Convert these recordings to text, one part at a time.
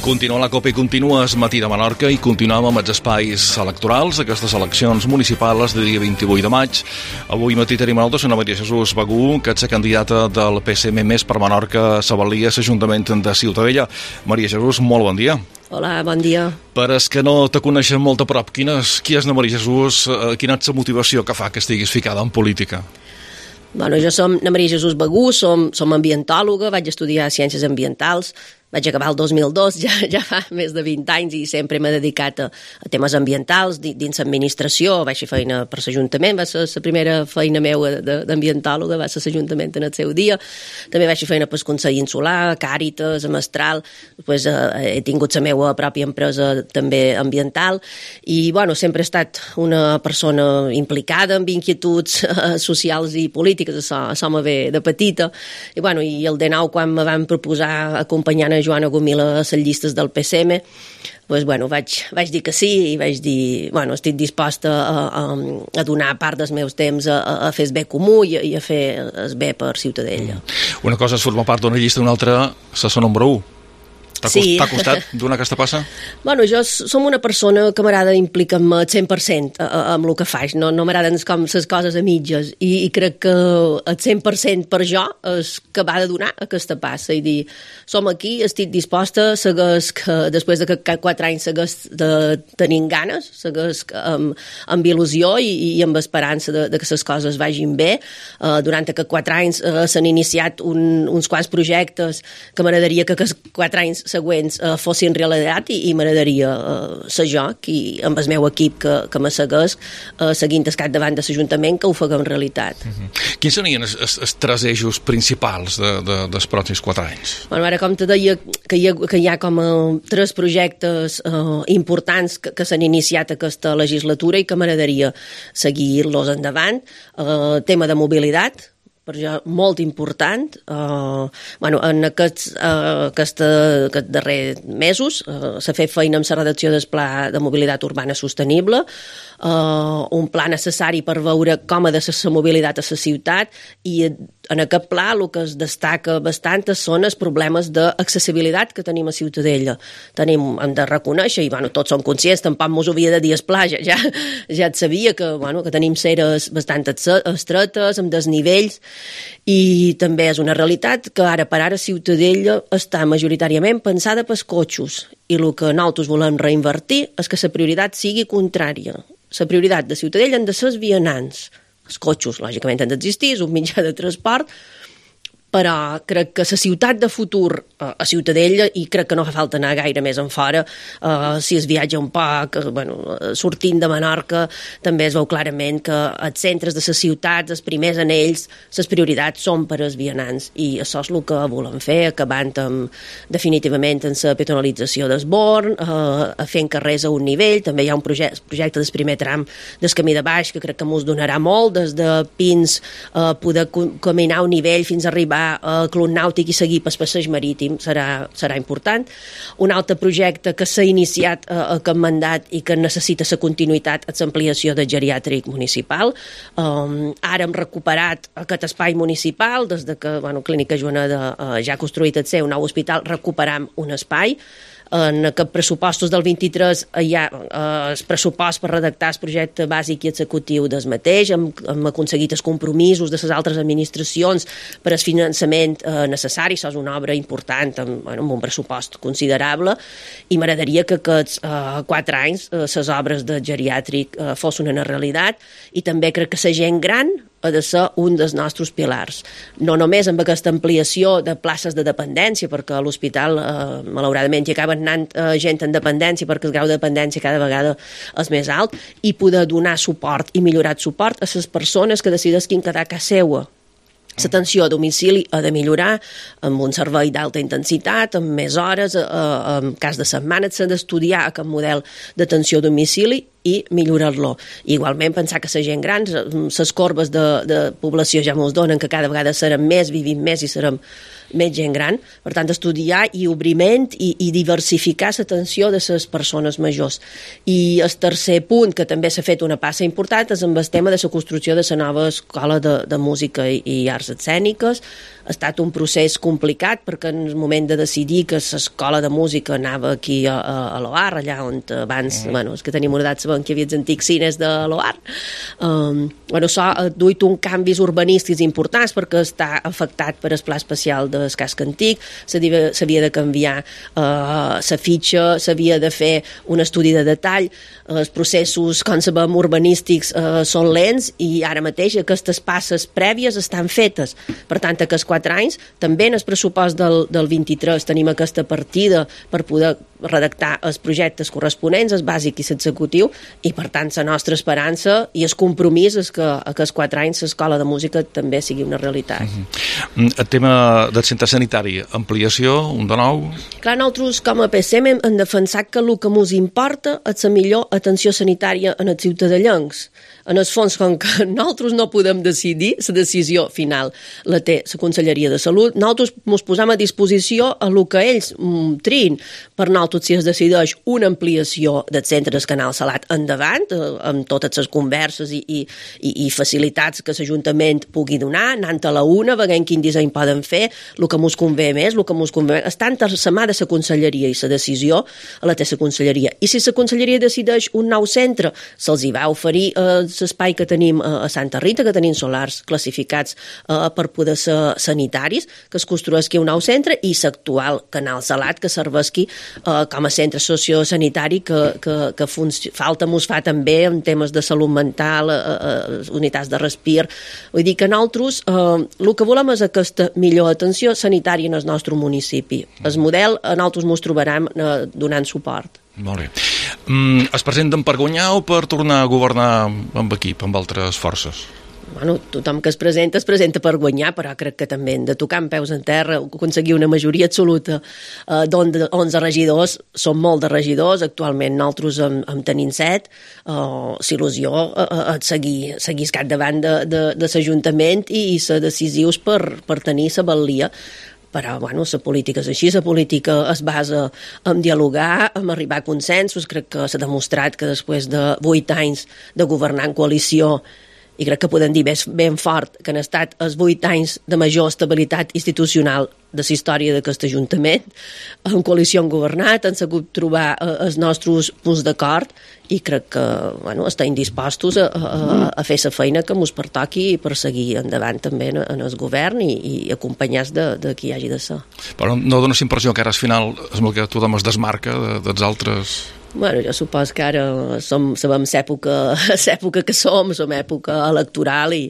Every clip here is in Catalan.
Continua la Copa i continua es matí de Menorca i continuem amb els espais electorals, aquestes eleccions municipals de dia 28 de maig. Avui matí tenim a nosaltres una Maria Jesús Bagú, que és la candidata del PSM més per Menorca, Sabalia, l'Ajuntament de Ciutadella. Maria Jesús, molt bon dia. Hola, bon dia. Per als que no te coneixen molt a prop, qui és la Maria Jesús? Quina és la motivació que fa que estiguis ficada en política? Bueno, jo som la Maria Jesús Bagú, som ambientòloga, vaig estudiar Ciències Ambientals, vaig acabar el 2002, ja fa més de 20 anys, i sempre m'he dedicat a temes ambientals dins l'administració. Vaig fer feina per l'Ajuntament, va ser la primera feina meva d'ambientòloga, va ser l'Ajuntament en el seu dia. També vaig fer feina pel Consell Insular, Càritas, a Mestral, després he tingut la meva pròpia empresa també ambiental, i bueno, sempre he estat una persona implicada amb inquietuds socials i polítiques, això me ve de petita, i bueno, i el 19, quan me van proposar acompanyant a Joana Gomil a les llistes del PSM, doncs, bueno, vaig dir que sí, i vaig dir, bueno, estic disposta a donar part dels meus temps a fer el bé comú i a fer el bé per Ciutadella. Una cosa és formar part d'una llista, una altra és la número 1. T'ha costat donar aquesta passa? Bueno, jo som una persona que m'agrada implicar-me al 100% amb el que faig. No m'agraden com les coses a mitges, i crec que el 100% per jo és que va de donar aquesta passa i dir, som aquí, estic disposta, segueix que després de 4 anys segueix tenint ganes, segueix amb il·lusió i amb esperança de que les coses vagin bé. Durant aquests 4 anys s'han iniciat uns quants projectes que m'agradaria que aquests 4 anys següents fossin realitat, i m'agradaria ser jo, amb el meu equip que me segueix, seguint el capdavant de l'Ajuntament, que ho faguem realitat. Quins serien els 3 eixos principals dels pròxims 4 anys? Bueno, ara, com te deia, que hi ha com 3 projectes importants que s'han iniciat aquesta legislatura i que m'agradaria seguir-los endavant. Tema de mobilitat, per jo molt important. En aquests darrers mesos s'ha fet feina amb la redacció del Pla de Mobilitat Urbana Sostenible, un pla necessari per veure com ha de ser la mobilitat a la ciutat, i en aquest pla el que es destaca bastant són els problemes d'accessibilitat que tenim a Ciutadella. Hem de reconèixer, i tots som conscients, tampoc mos ho havia de dir el pla, ja et sabia que tenim ceres bastant estretes, amb desnivells, i també és una realitat que ara per ara Ciutadella està majoritàriament pensada pels cotxos, i el que nosaltres volem reinvertir és que la prioritat sigui contrària. La prioritat de Ciutadella han de ser els vianants. Els cotxos, lògicament, han d'existir, és un mitjà de transport, però crec que la ciutat de futur a Ciutadella, i crec que no fa falta anar gaire més en fora, si es viatja un poc, sortint de Menorca, també es veu clarament que els centres de les ciutats, els primers anells, les prioritats són per als vianants, i això és el que volem fer, acabant definitivament amb la peatonalització del Born, fent carrers a un nivell. També hi ha un projecte del primer tram del camí de baix, que crec que ens donarà molt, des de Pins, poder caminar a un nivell fins a arribar al Club Nàutic i seguir pel passeig marítim serà important. Un altre projecte que s'ha iniciat aquest mandat i que necessita la continuïtat és l'ampliació del geriàtric municipal. Ara hem recuperat aquest espai municipal, des que Clínica Joaneda ja ha construït el seu nou hospital, recuperam un espai. En aquests pressupostos del 23 hi ha el pressupost per redactar el projecte bàsic i executiu del mateix. Hem aconseguit els compromisos de les altres administracions per al finançament necessari. Això és una obra important amb un pressupost considerable, i m'agradaria que aquests 4 anys les obres de geriàtric fossin una realitat, i també crec que la gent gran ha de ser un dels nostres pilars. No només amb aquesta ampliació de places de dependència, perquè a l'hospital, malauradament, hi acaben anant gent en dependència perquè el grau de dependència cada vegada és més alt, i poder donar suport i millorar el suport a les persones que decidisquin quedar a casa seva. L'atenció a domicili ha de millorar amb un servei d'alta intensitat, amb més hores, en cas de setmana s'ha d'estudiar aquest model d'atenció a domicili, i millorar-lo. Igualment, pensar que la gent gran, les corbes de població ja mos donen que cada vegada serem més, vivim més i serem més gent gran, per tant estudiar i obriment i diversificar l'atenció de les persones majors. I el tercer punt, que també s'ha fet una passa important, és amb el tema de la construcció de la nova escola de música i arts escèniques. Ha estat un procés complicat perquè en el moment de decidir que l'escola de música anava aquí a l'OAR, allà on abans, els que tenim una edat sabem que hi havia els antics cines de l'OAR, s'ha duit un canvis urbanístics importants perquè està afectat per el pla especial del casc antic, s'havia de canviar la fitxa, s'havia de fer un estudi de detall, els processos, com sabem, urbanístics són lents i ara mateix aquestes passes prèvies estan fetes. Per tant, aquests 4 anys, també en el pressupost del 23 tenim aquesta partida per poder redactar els projectes corresponents, el bàsic i l'executiu, i per tant la nostra esperança i el compromís és que aquests 4 anys l'escola de música també sigui una realitat. El tema del centre sanitari, ampliació, un de nou? Clar, nosaltres com a PSM hem defensat que el que ens importa és la millor atenció sanitària en els ciutadans. En el fons, com que nosaltres no podem decidir, la decisió final la té la Conselleria de Salut, nosaltres ens posam a disposició a el que ells triïn. Per nosaltres, si es decideix una ampliació del centre del Canal Salat endavant, amb totes les converses i facilitats que l'Ajuntament pugui donar, anant a la una, veient quin disseny poden fer, el que ens convé més, el que ens convé més. Està entre la mà de la Conselleria i la decisió la té la Conselleria. I si la Conselleria decideix un nou centre, se'ls hi va oferir l'espai que tenim a Santa Rita, que tenim solars classificats per poder ser sanitaris, que es construeixi un nou centre, i l'actual Canal Salat, que serveixi com a centre sociosanitari que falta mos fa també en temes de salut mental, unitats de respir. Vull dir que nosaltres el que volem és aquesta millor atenció sanitària en el nostre municipi. El model nosaltres mos trobarem donant suport. Molt bé. Es presenten per guanyar o per tornar a governar amb equip, amb altres forces? Tothom que es presenta per guanyar, però crec que també hem de tocar amb peus en terra, aconseguir una majoria absoluta d'11 regidors. Són molt de regidors, actualment nosaltres en tenim 7. L'il·lusió seguir al capdavant de l'Ajuntament i ser decisius per tenir la valia. Però, la política és així, la política es basa en dialogar, en arribar a consensos. Crec que s'ha demostrat que després de 8 anys de governar en coalició, i crec que podem dir ben fort que han estat els 8 anys de major estabilitat institucional de la història d'aquest Ajuntament, en coalició han governat, han sabut trobar els nostres punts d'acord i crec que estem dispostos a fer la feina que ens pertoqui per seguir endavant també en el govern i acompanyats de qui hi hagi de ser. Però no dones impressió que ara al final que tothom es desmarca dels altres... Jo supos que ara sabem l'època que som època electoral i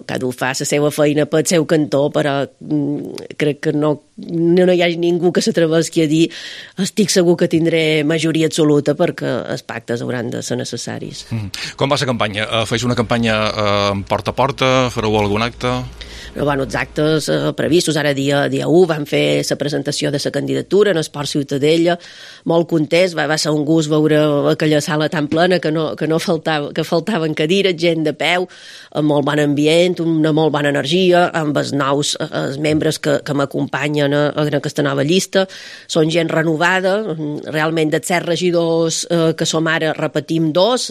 cada un fa la seva feina pel seu cantó, però crec que no hi hagi ningú que s'atreveixi a dir estic segur que tindré majoria absoluta perquè els pactes hauran de ser necessaris. Com va la campanya? Feix una campanya porta a porta? Fareu algun acte? Els actes previstos, ara dia 1 van fer la presentació de la candidatura en Esport Ciutadella, molt contents, va ser un gust veure aquella sala tan plena que faltaven cadires, gent de peu, amb molt bon ambient, una molt bona energia, amb els nous membres que m'acompanyen en aquesta nova llista. Són gent renovada, realment dels 7 regidors que som ara repetim 2,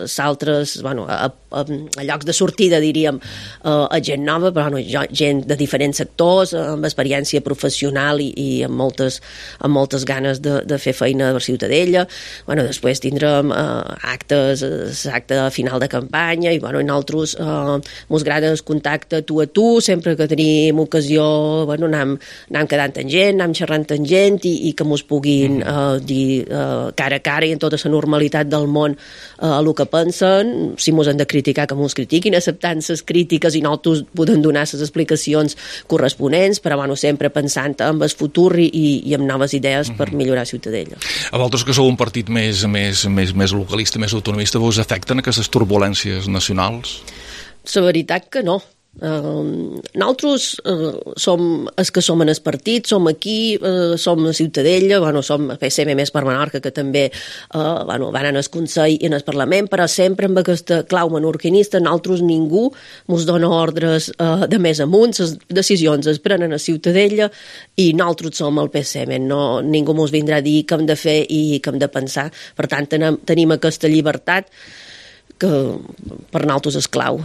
s'altres, a llocs de sortida diríem, a gent nova, però gent de diferents sectors, amb experiència professional i amb moltes ganes de fer feina a la Ciutadella. Després tindrem actes, l'acte final de campanya i nosaltres mos agrada el contacte tu a tu, sempre que tenim ocasió anem quedant amb gent, anem xerrant amb gent i que mos puguin dir cara a cara i en tota la normalitat del món el que pensen. Si mos han de criticar, que mos critiquin, acceptant les crítiques i nosaltres podem donar les explicacions corresponents, però sempre pensant en el futur i amb noves idees per millorar Ciutadella. A vosaltres que sou un partit més localista, més autonomista, vos afecten aquestes turbulències nacionals? La veritat que no. Nosaltres som els que som en el partit, som aquí, som a Ciutadella, som a PSM més per Menorca, que també van en el Consell i en el Parlament, però sempre amb aquesta clau menorquinista. Nosaltres ningú ens dona ordres de més amunt, les decisions es prenen a Ciutadella i nosaltres som el PSM, ningú ens vindrà a dir què hem de fer i què hem de pensar. Per tant, tenim aquesta llibertat que per nosaltres és clau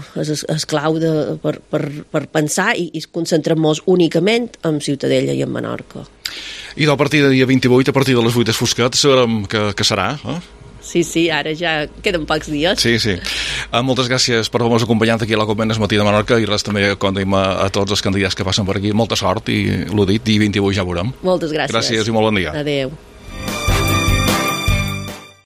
per pensar i concentrem-nos únicament en Ciutadella i en Menorca. I del partit de dia 28, a partir de les 8 fosquet, sabrem què serà, Sí, ara ja queden pocs dies. Sí. Moltes gràcies per haver-nos acompanyat aquí a la Convent Matí de Menorca i res també condim a tots els candidats que passen per aquí. Molta sort i l'ho dit, dia 28 ja veurem. Moltes gràcies. Gràcies i molt bon dia. Adéu.